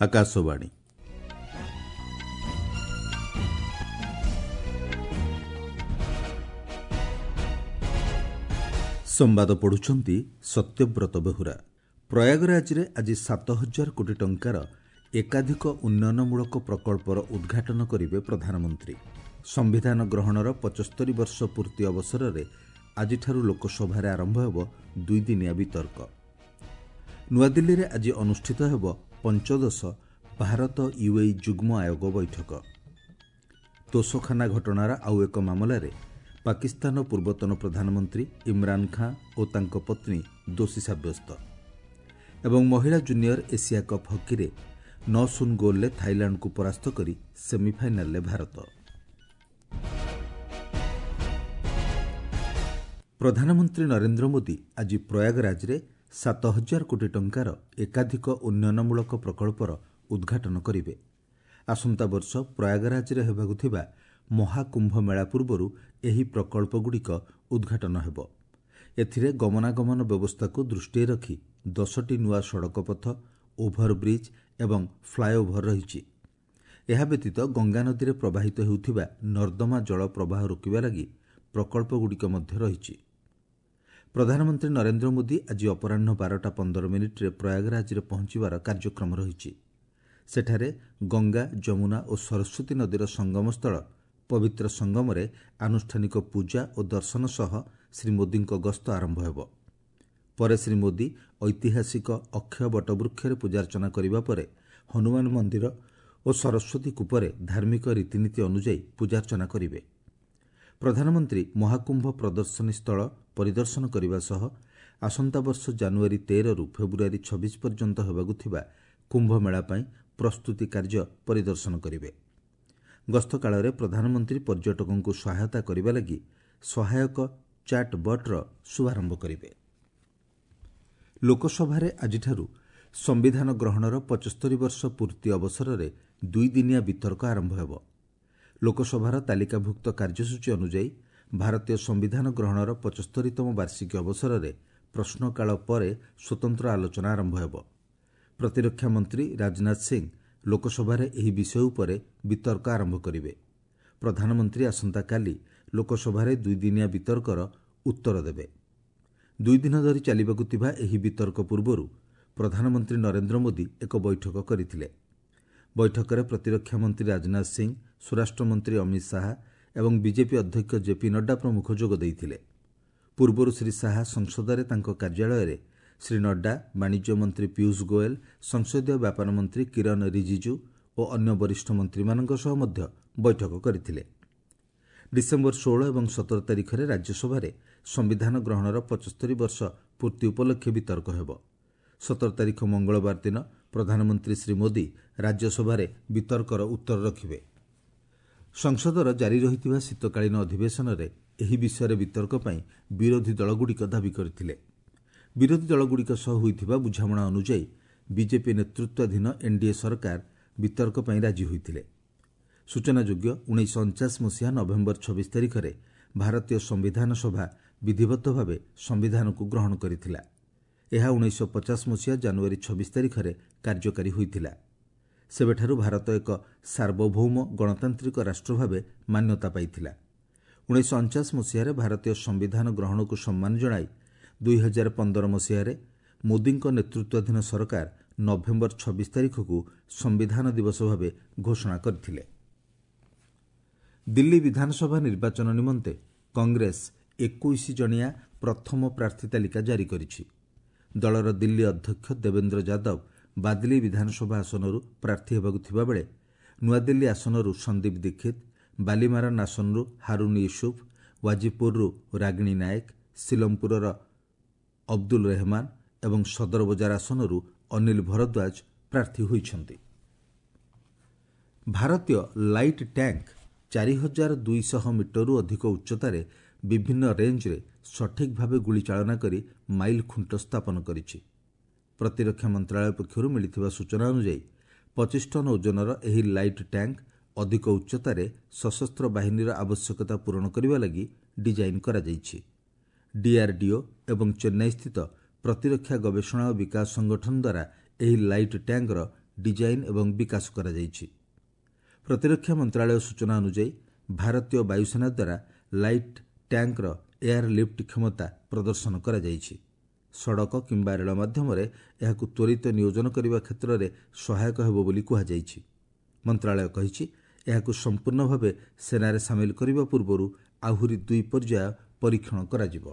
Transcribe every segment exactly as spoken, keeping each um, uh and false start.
ଆକାଶବାଣୀ ସମ୍ବାଦ ପଢୁଛନ୍ତି ସତ୍ୟବ୍ରତ ବେହୁରା ପ୍ରୟାଗରାଜରେ ଆଜି ସାତ ହଜାର କୋଟି ଟଙ୍କାର ଏକାଧିକ ଉନ୍ନୟନମୂଳକ ପ୍ରକଳ୍ପର ଉଦ୍ଘାଟନ କରିବେ ପ୍ରଧାନମନ୍ତ୍ରୀ ସମ୍ବିଧାନ ଗ୍ରହଣର ପଞ୍ଚସ୍ତରୀ ବର୍ଷ ପୂର୍ତ୍ତି ଅବସରରେ ଆଜିଠାରୁ ଲୋକସଭାରେ ଆରମ୍ଭ ହେବ ଦୁଇଦିନିଆ ବିତର୍କ ନୂଆଦିଲ୍ଲୀରେ ଆଜି ଅନୁଷ୍ଠିତ ହେବ ପଞ୍ଚଦଶ ଭାରତ ୟୁଏଇ ଯୁଗ୍ମ ଆୟୋଗ ବୈଠକ ତୋଷଖାନା ଘଟଣାର ଆଉ ଏକ ମାମଲାରେ ପାକିସ୍ତାନର ପୂର୍ବତନ ପ୍ରଧାନମନ୍ତ୍ରୀ ଇମ୍ରାନ୍ ଖାଁ ଓ ତାଙ୍କ ପତ୍ନୀ ଦୋଷୀ ସାବ୍ୟସ୍ତ ଏବଂ ମହିଳା ଜୁନିୟର ଏସିଆ କପ୍ ହକିରେ ନଅ ଶୂନ ଗୋଲ୍ରେ ଥାଇଲାଣ୍ଡକୁ ପରାସ୍ତ କରି ସେମିଫାଇନାଲରେ ଭାରତ ପ୍ରଧାନମନ୍ତ୍ରୀ ନରେନ୍ଦ୍ର ମୋଦି ଆଜି ପ୍ରୟାଗରାଜରେ ସାତ ହଜାର କୋଟି ଟଙ୍କାର ଏକାଧିକ ଉନ୍ନୟନମୂଳକ ପ୍ରକଳ୍ପର ଉଦ୍ଘାଟନ କରିବେ ଆସନ୍ତା ବର୍ଷ ପ୍ରୟାଗରାଜରେ ହେବାକୁ ଥିବା ମହାକୁମ୍ଭ ମେଳା ପୂର୍ବରୁ ଏହି ପ୍ରକଳ୍ପଗୁଡ଼ିକ ଉଦ୍ଘାଟନ ହେବ ଏଥିରେ ଗମନାଗମନ ବ୍ୟବସ୍ଥାକୁ ଦୃଷ୍ଟିରେ ରଖି ଦଶଟି ନୂଆ ସଡ଼କପଥ ଓଭରବ୍ରିଜ୍ ଏବଂ ଫ୍ଲାଏଓଭର ରହିଛି ଏହା ବ୍ୟତୀତ ଗଙ୍ଗାନଦୀରେ ପ୍ରବାହିତ ହେଉଥିବା ନର୍ଦ୍ଦମା ଜଳ ପ୍ରବାହ ରୋକିବା ଲାଗି ପ୍ରକଳ୍ପଗୁଡ଼ିକ ମଧ୍ୟ ରହିଛି ପ୍ରଧାନମନ୍ତ୍ରୀ ନରେନ୍ଦ୍ର ମୋଦି ଆଜି ଅପରାହ୍ନ ବାରଟା ପନ୍ଦର ମିନିଟ୍ରେ ପ୍ରୟାଗରାଜରେ ପହଞ୍ଚିବାର କାର୍ଯ୍ୟକ୍ରମ ରହିଛି ସେଠାରେ ଗଙ୍ଗା ଯମୁନା ଓ ସରସ୍ୱତୀ ନଦୀର ସଙ୍ଗମସ୍ଥଳ ପବିତ୍ର ସଙ୍ଗମରେ ଆନୁଷ୍ଠାନିକ ପୂଜା ଓ ଦର୍ଶନ ସହ ଶ୍ରୀ ମୋଦିଙ୍କ ଗସ୍ତ ଆରମ୍ଭ ହେବ ପରେ ଶ୍ରୀ ମୋଦି ଐତିହାସିକ ଅକ୍ଷୟ ବଟବୃକ୍ଷରେ ପୂଜାର୍ଚ୍ଚନା କରିବା ପରେ ହନୁମାନ ମନ୍ଦିର ଓ ସରସ୍ୱତୀ କୂପରେ ଧାର୍ମିକ ରୀତିନୀତି ଅନୁଯାୟୀ ପୂଜାର୍ଚ୍ଚନା କରିବେ ପ୍ରଧାନମନ୍ତ୍ରୀ ମହାକୁମ୍ଭ ପ୍ରଦର୍ଶନୀ ସ୍ଥଳ ପରିଦର୍ଶନ କରିବା ସହ ଆସନ୍ତା ବର୍ଷ ଜାନୁଆରୀ ତେରରୁ ଫେବୃଆରୀ ଛବିଶ ପର୍ଯ୍ୟନ୍ତ ହେବାକୁ ଥିବା କୁମ୍ଭମେଳା ପାଇଁ ପ୍ରସ୍ତୁତି କାର୍ଯ୍ୟ ପରିଦର୍ଶନ କରିବେ ଗସ୍ତ କାଳରେ ପ୍ରଧାନମନ୍ତ୍ରୀ ପର୍ଯ୍ୟଟକଙ୍କୁ ସହାୟତା କରିବା ଲାଗି ସହାୟକ ଚାଟ୍ ବଟ୍ର ଶୁଭାରମ୍ଭ କରିବେ ଲୋକସଭାରେ ଆଜିଠାରୁ ସମ୍ବିଧାନ ଗ୍ରହଣର ପଞ୍ଚସ୍ତରୀ ବର୍ଷ ପୂର୍ତ୍ତି ଅବସରରେ ଦୁଇଦିନିଆ ବିତର୍କ ଆରମ୍ଭ ହେବ ଲୋକସଭାର ତାଲିକାଭୁକ୍ତ କାର୍ଯ୍ୟସୂଚୀ ଅନୁଯାୟୀ ଭାରତୀୟ ସମ୍ବିଧାନ ଗ୍ରହଣର ପଞ୍ଚସ୍ତରୀତମ ବାର୍ଷିକୀ ଅବସରରେ ପ୍ରଶ୍ନକାଳ ପରେ ସ୍ୱତନ୍ତ୍ର ଆଲୋଚନା ଆରମ୍ଭ ହେବ ପ୍ରତିରକ୍ଷା ମନ୍ତ୍ରୀ ରାଜନାଥ ସିଂ ଲୋକସଭାରେ ଏହି ବିଷୟ ଉପରେ ବିତର୍କ ଆରମ୍ଭ କରିବେ ପ୍ରଧାନମନ୍ତ୍ରୀ ଆସନ୍ତାକାଲି ଲୋକସଭାରେ ଦୁଇଦିନିଆ ବିତର୍କର ଉତ୍ତର ଦେବେ ଦୁଇଦିନ ଧରି ଚାଲିବାକୁ ଥିବା ଏହି ବିତର୍କ ପୂର୍ବରୁ ପ୍ରଧାନମନ୍ତ୍ରୀ ନରେନ୍ଦ୍ର ମୋଦି ଏକ ବୈଠକ କରିଥିଲେ ବୈଠକରେ ପ୍ରତିରକ୍ଷା ମନ୍ତ୍ରୀ ରାଜନାଥ ସିଂ ସ୍ୱରାଷ୍ଟ୍ରମନ୍ତ୍ରୀ ଅମିତ ଶାହା ଏବଂ ବିଜେପି ଅଧ୍ୟକ୍ଷ ଜେପି ନଡ୍ଡା ପ୍ରମୁଖ ଯୋଗ ଦେଇଥିଲେ ପୂର୍ବରୁ ଶ୍ରୀ ଶାହା ସଂସଦରେ ତାଙ୍କ କାର୍ଯ୍ୟାଳୟରେ ଶ୍ରୀ ନଡ୍ଡା ବାଣିଜ୍ୟ ମନ୍ତ୍ରୀ ପୀୟୁଷ ଗୋଏଲ ସଂସଦୀୟ ବ୍ୟାପାର ମନ୍ତ୍ରୀ କିରଣ ରିଜିଜୁ ଓ ଅନ୍ୟ ବରିଷ୍ଠ ମନ୍ତ୍ରୀମାନଙ୍କ ସହ ମଧ୍ୟ ବୈଠକ କରିଥିଲେ ଡିସେମ୍ବର ଷୋହଳ ଏବଂ ସତର ତାରିଖରେ ରାଜ୍ୟସଭାରେ ସମ୍ବିଧାନ ଗ୍ରହଣର ପଞ୍ଚସ୍ତରୀ ବର୍ଷ ପୂର୍ତ୍ତି ଉପଲକ୍ଷେ ବିତର୍କ ହେବ ସତର ତାରିଖ ମଙ୍ଗଳବାର ଦିନ ପ୍ରଧାନମନ୍ତ୍ରୀ ଶ୍ରୀ ମୋଦି ରାଜ୍ୟସଭାରେ ବିତର୍କର ଉତ୍ତର ରଖିବେ ସଂସଦର ଜାରି ରହିଥିବା ଶୀତକାଳୀନ ଅଧିବେଶନରେ ଏହି ବିଷୟରେ ବିତର୍କ ପାଇଁ ବିରୋଧୀ ଦଳଗୁଡ଼ିକ ଦାବି କରିଥିଲେ ବିରୋଧୀ ଦଳଗୁଡ଼ିକ ସହ ହୋଇଥିବା ବୁଝାମଣା ଅନୁଯାୟୀ ବିଜେପି ନେତୃତ୍ୱାଧୀନ ଏନ୍ଡିଏ ସରକାର ବିତର୍କ ପାଇଁ ରାଜି ହୋଇଥିଲେ ସୂଚନାଯୋଗ୍ୟ ଉଣେଇଶହ ଅଣଚାଶ ମସିହା ନଭେମ୍ବର ଛବିଶ ତାରିଖରେ ଭାରତୀୟ ସମ୍ବିଧାନ ସଭା ବିଧିବଦ୍ଧ ଭାବେ ସମ୍ବିଧାନକୁ ଗ୍ରହଣ କରିଥିଲା ଏହା ଉଣେଇଶହ ପଚାଶ ମସିହା ଜାନୁଆରୀ ଛବିଶ ତାରିଖରେ କାର୍ଯ୍ୟକାରୀ ହୋଇଥିଲା ସେବେଠାରୁ ଭାରତ ଏକ ସାର୍ବଭୌମ ଗଣତାନ୍ତ୍ରିକ ରାଷ୍ଟ୍ର ଭାବେ ମାନ୍ୟତା ପାଇଥିଲା ଉଣେଇଶହ ଅଣଚାଶ ମସିହାରେ ଭାରତୀୟ ସମ୍ବିଧାନ ଗ୍ରହଣକୁ ସମ୍ମାନ ଜଣାଇ ଦୁଇ ହଜାର ପନ୍ଦର ମସିହାରେ ମୋଦିଙ୍କ ନେତୃତ୍ୱାଧୀନ ସରକାର ନଭେମ୍ବର ଛବିଶ ତାରିଖକୁ ସମ୍ବିଧାନ ଦିବସ ଭାବେ ଘୋଷଣା କରିଥିଲେ ଦିଲ୍ଲୀ ବିଧାନସଭା ନିର୍ବାଚନ ନିମନ୍ତେ କଂଗ୍ରେସ ଏକୋଇଶ ଜଣିଆ ପ୍ରଥମ ପ୍ରାର୍ଥୀ ତାଲିକା ଜାରି କରିଛି ଦଳର ଦିଲ୍ଲୀ ଅଧ୍ୟକ୍ଷ ଦେବେନ୍ଦ୍ର ଯାଦବ ବାଦଲି ବିଧାନସଭା ଆସନରୁ ପ୍ରାର୍ଥୀ ହେବାକୁ ଥିବାବେଳେ ନୂଆଦିଲ୍ଲୀ ଆସନରୁ ସନ୍ଦୀପ ଦୀକ୍ଷିତ ବାଲିମାରନ୍ ଆସନରୁ ହାରୁନ୍ ୟୁସୁଫ୍ ୱାଜିପୁରରୁ ରାଗିଣୀ ନାୟକ ସିଲମପୁରର ଅବଦୁଲ ରେହମାନ ଏବଂ ସଦର ବଜାର ଆସନରୁ ଅନିଲ ଭରଦ୍ୱାଜ ପ୍ରାର୍ଥୀ ହୋଇଛନ୍ତି ଭାରତୀୟ ଲାଇଟ୍ ଟ୍ୟାଙ୍କ ଚାରି ହଜାର ଦୁଇଶହ ମିଟରରୁ ଅଧିକ ଉଚ୍ଚତାରେ ବିଭିନ୍ନ ରେଞ୍ଜରେ ସଠିକ୍ ଭାବେ ଗୁଳି ଚାଳନା କରି ମାଇଲ୍ ଖୁଣ୍ଟ ସ୍ଥାପନ କରିଛି ପ୍ରତିରକ୍ଷା ମନ୍ତ୍ରଣାଳୟ ପକ୍ଷରୁ ମିଳିଥିବା ସୂଚନା ଅନୁଯାୟୀ ପଚିଶ ଟନ୍ ଓଜନର ଏହି ଲାଇଟ୍ ଟ୍ୟାଙ୍କ ଅଧିକ ଉଚ୍ଚତାରେ ସଶସ୍ତ୍ର ବାହିନୀର ଆବଶ୍ୟକତା ପୂରଣ କରିବା ଲାଗି ଡିଜାଇନ୍ କରାଯାଇଛି ଡିଆର୍ଡିଓ ଏବଂ ଚେନ୍ନାଇସ୍ଥିତ ପ୍ରତିରକ୍ଷା ଗବେଷଣା ଓ ବିକାଶ ସଂଗଠନ ଦ୍ୱାରା ଏହି ଲାଇଟ୍ ଟ୍ୟାଙ୍କର ଡିଜାଇନ୍ ଏବଂ ବିକାଶ କରାଯାଇଛି। ପ୍ରତିରକ୍ଷା ମନ୍ତ୍ରଣାଳୟ ସୂଚନା ଅନୁଯାୟୀ ଭାରତୀୟ ବାୟୁସେନା ଦ୍ୱାରା ଲାଇଟ୍ ଟ୍ୟାଙ୍କର ଏୟାର ଲିଫ୍ଟ କ୍ଷମତା ପ୍ରଦର୍ଶନ କରାଯାଇଛି। ସଡ଼କ କିମ୍ବା ରେଳ ମାଧ୍ୟମରେ ଏହାକୁ ତ୍ୱରିତ ନିୟୋଜନ କରିବା କ୍ଷେତ୍ରରେ ସହାୟକ ହେବ ବୋଲି କୁହାଯାଇଛି। ମନ୍ତ୍ରଣାଳୟ କହିଛି, ଏହାକୁ ସମ୍ପୂର୍ଣ୍ଣ ଭାବେ ସେନାରେ ସାମିଲ କରିବା ପୂର୍ବରୁ ଆହୁରି ଦୁଇ ପର୍ଯ୍ୟାୟ ପରୀକ୍ଷଣ କରାଯିବ।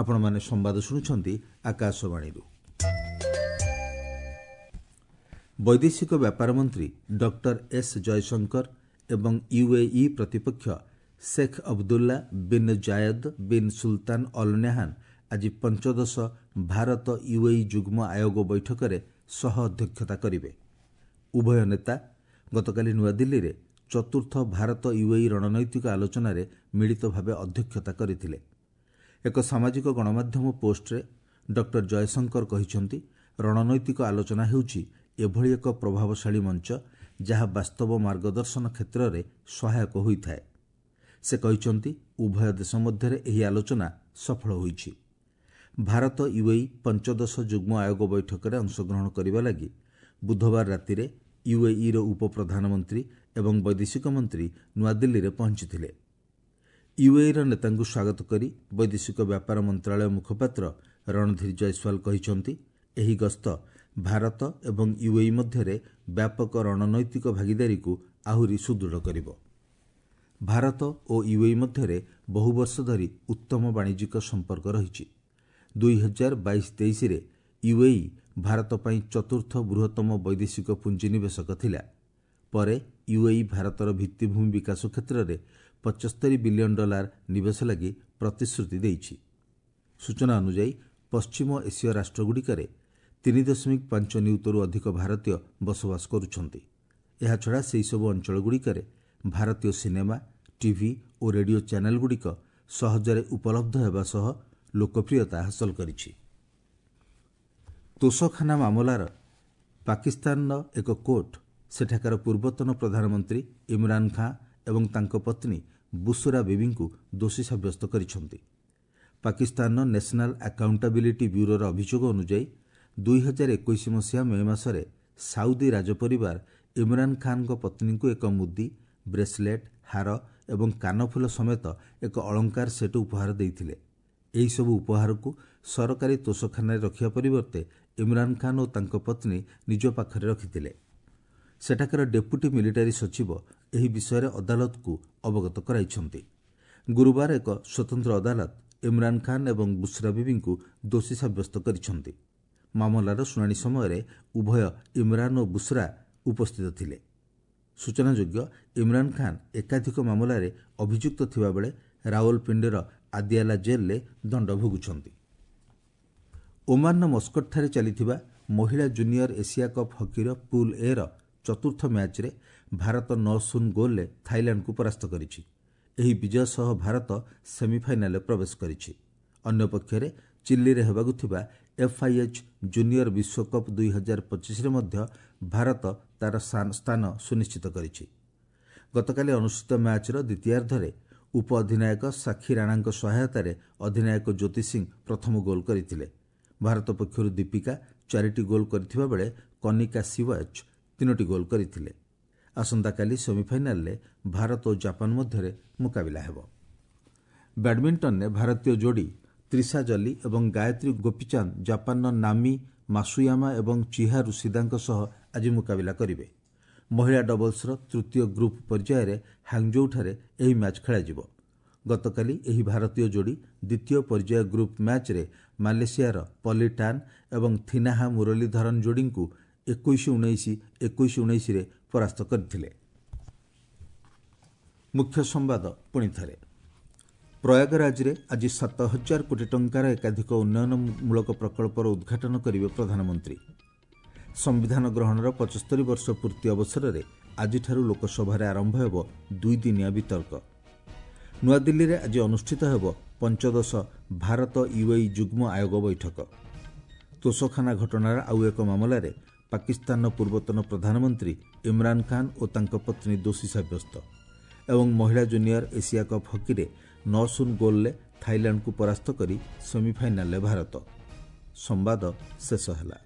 ଆପଣମାନେ ସମ୍ବାଦ ଶୁଣୁଛନ୍ତି ଆକାଶବାଣୀରୁ। ବୈଦେଶିକ ବ୍ୟାପାର ମନ୍ତ୍ରୀ ଡକ୍ଟର ଏସ୍ ଜୟଶଙ୍କର ଏବଂ ୟୁଏଇ ପ୍ରତିପକ୍ଷ Sheikh Abdullah bin Zayed bin Sultan Al Nahyan ଆଜି ପଞ୍ଚଦଶ ଭାରତ ୟୁଏଇ ଯୁଗ୍ମ ଆୟୋଗ ବୈଠକରେ ସହ ଅଧ୍ୟକ୍ଷତା କରିବେ। ଉଭୟ ନେତା ଗତକାଲି ନୂଆଦିଲ୍ଲୀରେ ଚତୁର୍ଥ ଭାରତ ୟୁଏଇ ରଣନୈତିକ ଆଲୋଚନାରେ ମିଳିତ ଭାବେ ଅଧ୍ୟକ୍ଷତା କରିଥିଲେ। ଏକ ସାମାଜିକ ଗଣମାଧ୍ୟମ ପୋଷ୍ଟରେ ଡକ୍ଟର ଜୟଶଙ୍କର କହିଛନ୍ତି, ରଣନୈତିକ ଆଲୋଚନା ହେଉଛି ଏଭଳି ଏକ ପ୍ରଭାବଶାଳୀ ମଞ୍ଚ ଯାହା ବାସ୍ତବ ମାର୍ଗଦର୍ଶନ କ୍ଷେତ୍ରରେ ସହାୟକ ହୋଇଥାଏ। ସେ କହିଛନ୍ତି, ଉଭୟ ଦେଶ ମଧ୍ୟରେ ଏହି ଆଲୋଚନା ସଫଳ ହୋଇଛି। ଭାରତ ୟୁଏଇ ପଞ୍ଚଦଶ ଯୁଗ୍ମ ଆୟୋଗ ବୈଠକରେ ଅଂଶଗ୍ରହଣ କରିବା ଲାଗି ବୁଧବାର ରାତିରେ ୟୁଏଇର ଉପପ୍ରଧାନମନ୍ତ୍ରୀ ଏବଂ ବୈଦେଶିକ ମନ୍ତ୍ରୀ ନୂଆଦିଲ୍ଲୀରେ ପହଞ୍ଚିଥିଲେ। ୟୁଏଇର ନେତାଙ୍କୁ ସ୍ୱାଗତ କରି ବୈଦେଶିକ ବ୍ୟାପାର ମନ୍ତ୍ରଣାଳୟ ମୁଖପାତ୍ର ରଣଧୀର ଜୟସ୍ୱାଲ କହିଛନ୍ତି, ଏହି ଗସ୍ତ ଭାରତ ଏବଂ ୟୁଏଇ ମଧ୍ୟରେ ବ୍ୟାପକ ରଣନୈତିକ ଭାଗିଦାରୀକୁ ଆହୁରି ସୁଦୃଢ଼ କରିବ। ଭାରତ ଓ ୟୁଏଇ ମଧ୍ୟରେ ବହୁ ବର୍ଷ ଧରି ଉତ୍ତମ ବାଣିଜ୍ୟିକ ସମ୍ପର୍କ ରହିଛି। ଦୁଇ ହଜାର ବାଇଶ ତେଇଶରେ ୟୁଏଇ ଭାରତ ପାଇଁ ଚତୁର୍ଥ ବୃହତ୍ତମ ବୈଦେଶିକ ପୁଞ୍ଜିନିବେଶକ ଥିଲା। ପରେ ୟୁଏଇ ଭାରତର ଭିତ୍ତିଭୂମି ବିକାଶ କ୍ଷେତ୍ରରେ ପଚସ୍ତରୀ ବିଲିୟନ ଡଲାର ନିବେଶ ଲାଗି ପ୍ରତିଶ୍ରୁତି ଦେଇଛି। ସୂଚନା ଅନୁଯାୟୀ ପଶ୍ଚିମ ଏସୀୟ ରାଷ୍ଟ୍ରଗୁଡ଼ିକରେ ତିନି ଦଶମିକ ପାଞ୍ଚ ନିୟୁତରୁ ଅଧିକ ଭାରତୀୟ ବସବାସ କରୁଛନ୍ତି। ଏହାଛଡ଼ା ସେହିସବୁ ଅଞ୍ଚଳଗୁଡ଼ିକରେ ଭାରତୀୟ ସିନେମା, ଟିଭି ଓ ରେଡିଓ ଚ୍ୟାନେଲଗୁଡ଼ିକ ସହଜରେ ଉପଲବ୍ଧ ହେବା ସହ ଲୋକପ୍ରିୟତା ହାସଲ କରିଛି। ତୋଷଖାନା ମାମଲାର ପାକିସ୍ତାନର ଏକ କୋର୍ଟ ସେଠାକାର ପୂର୍ବତନ ପ୍ରଧାନମନ୍ତ୍ରୀ ଇମ୍ରାନ୍ ଖାଁ ଏବଂ ତାଙ୍କ ପତ୍ନୀ ବୁସରା ବିବିଙ୍କୁ ଦୋଷୀ ସାବ୍ୟସ୍ତ କରିଛନ୍ତି। ପାକିସ୍ତାନର ନ୍ୟାସନାଲ ଆକାଉଣ୍ଟାବିଲିଟି ବ୍ୟୁରୋର ଅଭିଯୋଗ ଅନୁଯାୟୀ ଦୁଇ ହଜାର ଏକୋଇଶ ମସିହା ମେ ମାସରେ ସାଉଦି ରାଜପରିବାର ଇମ୍ରାନ୍ ଖାନ୍ଙ୍କ ପତ୍ନୀଙ୍କୁ ଏକ ମୁଦି, ବ୍ରେସଲେଟ୍, ହାର ଏବଂ କାନଫୁଲ ସମେତ ଏକ ଅଳଙ୍କାର ସେଟ୍ ଉପହାର ଦେଇଥିଲେ। ଏହିସବୁ ଉପହାରକୁ ସରକାରୀ ତୋଷଖାନାରେ ରଖିବା ପରିବର୍ତ୍ତେ ଇମ୍ରାନ୍ ଖାନ୍ ଓ ତାଙ୍କ ପତ୍ନୀ ନିଜ ପାଖରେ ରଖିଥିଲେ। ସେଠାକାର ଡେପୁଟି ମିଲିଟାରୀ ସଚିବ ଏହି ବିଷୟରେ ଅଦାଲତକୁ ଅବଗତ କରାଇଛନ୍ତି। ଗୁରୁବାର ଏକ ସ୍ୱତନ୍ତ୍ର ଅଦାଲତ ଇମ୍ରାନ୍ ଖାନ୍ ଏବଂ ବୁସରା ବିବିଙ୍କୁ ଦୋଷୀ ସାବ୍ୟସ୍ତ କରିଛନ୍ତି। ମାମଲାର ଶୁଣାଣି ସମୟରେ ଉଭୟ ଇମ୍ରାନ୍ ଓ ବୁସରା ଉପସ୍ଥିତ ଥିଲେ। ସୂଚନାଯୋଗ୍ୟ, ଇମ୍ରାନ୍ ଖାନ୍ ଏକାଧିକ ମାମଲାରେ ଅଭିଯୁକ୍ତ ଥିବାବେଳେ ରାୱଲପିଣ୍ଡିର ଆଦିଆଲା ଜେଲ୍ରେ ଦଣ୍ଡ ଭୋଗୁଛନ୍ତି। ଓମାନର ମସ୍କଟଠାରେ ଚାଲିଥିବା ମହିଳା ଜୁନିୟର ଏସିଆ କପ୍ ହକିର ପୁଲ୍ ଏର ଚତୁର୍ଥ ମ୍ୟାଚ୍ରେ ଭାରତ ନଅ ଶୂନ ଗୋଲ୍ରେ ଥାଇଲାଣ୍ଡକୁ ପରାସ୍ତ କରିଛି। ଏହି ବିଜୟ ସହ ଭାରତ ସେମିଫାଇନାଲରେ ପ୍ରବେଶ କରିଛି। ଅନ୍ୟପକ୍ଷରେ ଚିଲିରେ ହେବାକୁ ଥିବା ଏଫ୍ଆଇଏଚ୍ ଜୁନିୟର ବିଶ୍ୱକପ୍ ଦୁଇ ହଜାର ପଚିଶରେ ମଧ୍ୟ ଭାରତ ତା'ର ସ୍ଥାନ ସୁନିଶ୍ଚିତ କରିଛି। ଗତକାଲି ଅନୁଷ୍ଠିତ ମ୍ୟାଚ୍ର ଦ୍ୱିତୀୟାର୍ଦ୍ଧରେ ଉପ ଅଧିନାୟକ ସାକ୍ଷୀ ରାଣାଙ୍କ ସହାୟତାରେ ଅଧିନାୟକ ଜ୍ୟୋତି ସିଂ ପ୍ରଥମ ଗୋଲ୍ କରିଥିଲେ। ଭାରତ ପକ୍ଷରୁ ଦୀପିକା ଚାରିଟି ଗୋଲ୍ କରିଥିବା ବେଳେ କନିକା ସିୱାଚ୍ ତିନୋଟି ଗୋଲ୍ କରିଥିଲେ। ଆସନ୍ତାକାଲି ସେମିଫାଇନାଲରେ ଭାରତ ଓ ଜାପାନ ମଧ୍ୟରେ ମୁକାବିଲା ହେବ। ବ୍ୟାଡମିଣ୍ଟନରେ ଭାରତୀୟ ଯୋଡ଼ି ତ୍ରିଷା ଜଲି ଏବଂ ଗାୟତ୍ରୀ ଗୋପୀଚାନ୍ଦ ଜାପାନର ନାମି ମାସୁୟାମା ଏବଂ ଚିହାରୁ ସିଦାଙ୍କ ସହ ଆଜି ମୁକାବିଲା କରିବେ। ମହିଳା ଡବଲ୍ସର ତୃତୀୟ ଗ୍ରୁପ୍ ପର୍ଯ୍ୟାୟରେ ହାଙ୍ଗଜୋଉଠାରେ ଏହି ମ୍ୟାଚ୍ ଖେଳାଯିବ। ଗତକାଲି ଏହି ଭାରତୀୟ ଯୋଡ଼ି ଦ୍ୱିତୀୟ ପର୍ଯ୍ୟାୟ ଗ୍ରୁପ୍ ମ୍ୟାଚ୍ରେ ମାଲେସିଆର ପଲି ଟାନ୍ ଏବଂ ଥିନାହା ମୁରଲୀଧରନ୍ ଯୋଡ଼ିଙ୍କୁ ଏକୋଇଶ ଉଣେଇଶ, ଏକୋଇଶ ଉଣେଇଶରେ ପରାସ୍ତ କରିଥିଲେ। ମୁଖ୍ୟ ସମ୍ବାଦ ପୁଣିଥରେ। ପ୍ରୟାଗରାଜରେ ଆଜି ସାତ ହଜାର କୋଟି ଟଙ୍କାର ଏକାଧିକ ଉନ୍ନୟନମୂଳକ ପ୍ରକଳ୍ପର ଉଦ୍ଘାଟନ କରିବେ ପ୍ରଧାନମନ୍ତ୍ରୀ। ସମ୍ବିଧାନ ଗ୍ରହଣର ପଚସ୍ତରୀ ବର୍ଷ ପୂର୍ତ୍ତି ଅବସରରେ ଆଜିଠାରୁ ଲୋକସଭାରେ ଆରମ୍ଭ ହେବ ଦୁଇଦିନିଆ ବିତର୍କ। ନୂଆଦିଲ୍ଲୀରେ ଆଜି ଅନୁଷ୍ଠିତ ହେବ ପଞ୍ଚଦଶ ଭାରତ ୟୁଏଇ ଯୁଗ୍ମ ଆୟୋଗ ବୈଠକ। ତୋଷଖାନା ଘଟଣାର ଆଉ ଏକ ମାମଲାରେ ପାକିସ୍ତାନର ପୂର୍ବତନ ପ୍ରଧାନମନ୍ତ୍ରୀ ଇମ୍ରାନ୍ ଖାନ୍ ଓ ତାଙ୍କ ପତ୍ନୀ ଦୋଷୀ ସାବ୍ୟସ୍ତ। ଏବଂ ମହିଳା ଜୁନିୟର ଏସିଆ କପ୍ ହକିରେ ନଅ ଶୂନ ଗୋଲ୍ରେ ଥାଇଲାଣ୍ଡକୁ ପରାସ୍ତ କରି ସେମିଫାଇନାଲରେ ଭାରତ। ସମ୍ବାଦ ଶେଷ ହେଲା।